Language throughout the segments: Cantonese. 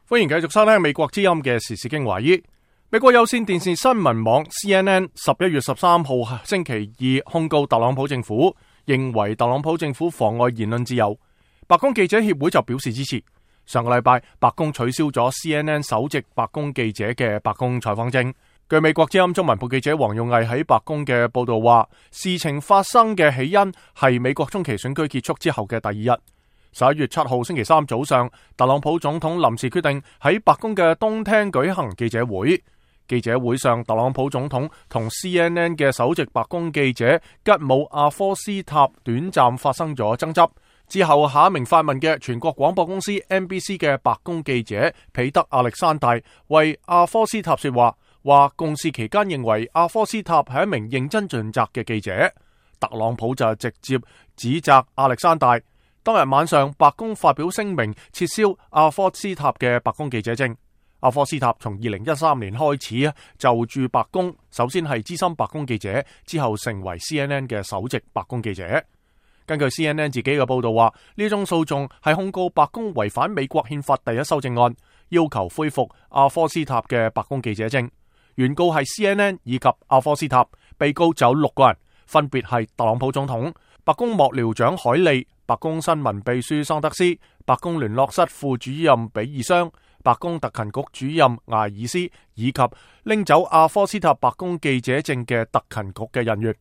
歡迎繼續收聽美國之音嘅時事經華爾。美國有線電視新聞網 CNN 11月13號星期二控告特朗普政府，認為特朗普政府妨礙言論自由。白宮記者協會就表示支持。上個禮拜，白宮取消咗 CNN 首席白宮記者嘅白宮採訪證。據美國之音中文部記者黃勇毅喺白宮嘅報道話，事情發生嘅起因係美國中期選舉結束之後嘅第二日。11月7號星期三早上，特朗普總統臨時決定喺白宮嘅東廳舉行記者會。記者會上，特朗普總統同 CNN 嘅首席白宮記者吉姆阿科斯塔短暫發生咗爭執。之後，下一名發問嘅全國廣播公司 NBC 嘅白宮記者彼得亞歷山大為阿科斯塔說話，話共事期間認為阿科斯塔係一名認真盡責嘅記者。特朗普就直接指責亞歷山大。當日晚上，白宮發表聲明撤銷阿科斯塔嘅白宮記者證。阿科斯塔從2013年開始就駐白宮，首先係資深白宮記者，之後成為 CNN 嘅首席白宮記者。根據 CNN 自己嘅報道話，呢宗訴訟係控告白宮違反美國憲法第一修正案，要求恢復阿科斯塔嘅白宮記者證。原告係 CNN 以及阿科斯塔，被告就有6個人，分別係特朗普總統、白宮幕僚長海利、白宮新聞秘書桑德斯、白宮聯絡室副主任比爾商、白宮特勤局主任艾爾斯，以及拎走阿科斯塔白宮記者證嘅特勤局嘅人員。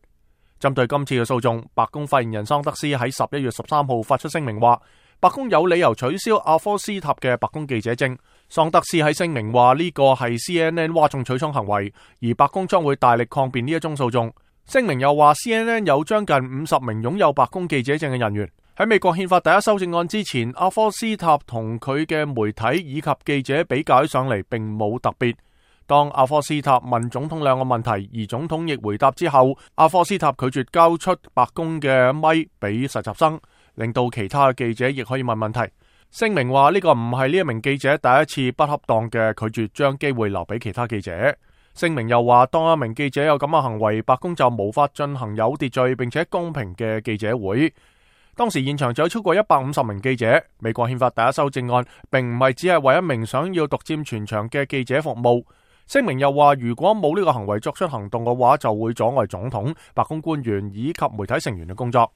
針對今次嘅訴訟，白宮發言人桑德斯喺11月13號發出聲明話，白宮有理由取消阿科斯塔嘅白宮記者證。桑德斯喺聲明話呢個係 CNN 嘩眾取寵行為，而白宮將會大力抗辯呢一宗訴訟。聲明又話 CNN 有將近50名擁有白宮記者證嘅人員。喺美國憲法第一修正案之前，阿科斯塔同佢嘅媒體以及記者比較起上嚟並冇特別。當阿科斯塔問總統兩個問題，而總統亦回答之後，阿科斯塔拒絕交出白宮嘅咪俾實習生，令到其他記者亦可以問問題。聲明話呢個唔係呢一名記者第一次不恰當嘅拒絕將機會留俾其他記者。聲明又話，當一名記者有咁嘅行為，白宮就無法進行有秩序並且公平嘅記者會。當時現場就有超過150名記者。美國憲法第一修正案並唔係只係為一名想要獨佔全場嘅記者服務。聲明又話，如果冇呢個行為作出行動嘅話，就會阻礙總統、白宮官員以及媒體成員嘅工作。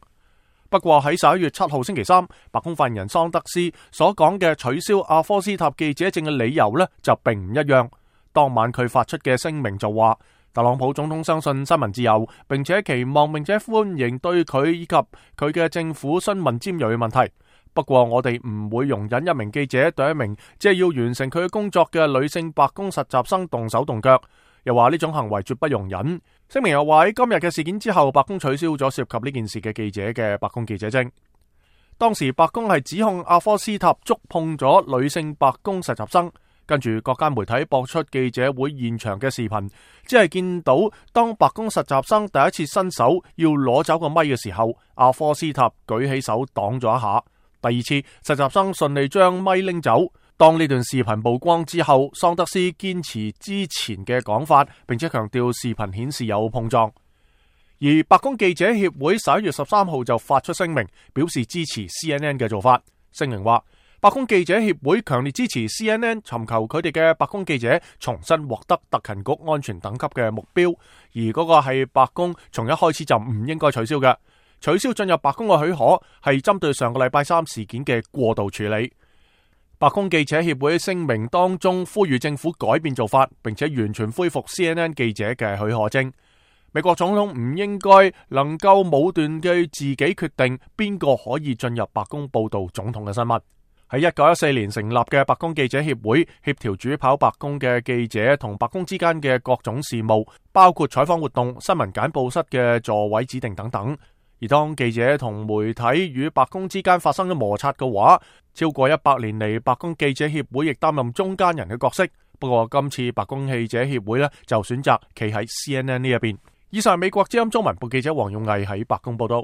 不過喺11月7號星期三，白宮發言人桑德斯所講嘅取消阿科斯塔記者證嘅理由呢，就並唔一樣。當晚佢發出嘅聲明就話，特朗普總統相信新聞自由，並且期望並且歡迎對佢以及佢嘅政府詢問尖銳嘅問題。不過我哋唔會容忍一名記者對一名即係要完成佢嘅工作嘅女性白宮實習生動手動腳，又話呢種行為絕不容忍。聲明又話喺今日嘅事件之後，白宮取消咗涉及呢件事嘅記者嘅白宮記者證。當時白宮係指控阿科斯塔觸碰咗女性白宮實習生。跟住各間媒體播出記者會現場嘅視頻，只係見到當白宮實習生第一次伸手要攞走個咪嘅時候，阿科斯塔舉起手擋咗一下。第二次實習生順利將咪拎走。當呢段視頻曝光之後，桑德斯堅持之前嘅講法，並且強調視頻顯示有碰撞。而白宮記者協會11月13號就發出聲明，表示支持 CNN 嘅做法。聲明話，白宮記者協會強烈支持 CNN 尋求佢哋嘅白宮記者重新獲得特勤局安全等級嘅目標，而嗰個係白宮從一開始就唔應該取消嘅。取消進入白宮嘅許可係針對上個禮拜三事件嘅過度處理。白宮記者協會聲明當中呼籲政府改變做法，並且完全恢復 CNN 記者嘅許可證。美國總統唔應該能夠武斷嘅自己決定邊個可以進入白宮報道總統嘅新聞。喺1914年成立嘅白宮記者協會，協調主跑白宮嘅記者同白宮之間嘅各種事務，包括採訪活動、新聞簡報室嘅座位指定等等。而當記者同媒體與白宮之間發生咗摩擦嘅話，超過100年嚟，白宮記者協會亦擔任中間人嘅角色。不過今次白宮記者協會呢，就選擇企喺 CNN 呢一邊。以上係美國之音中文部記者黃勇毅喺白宮報道。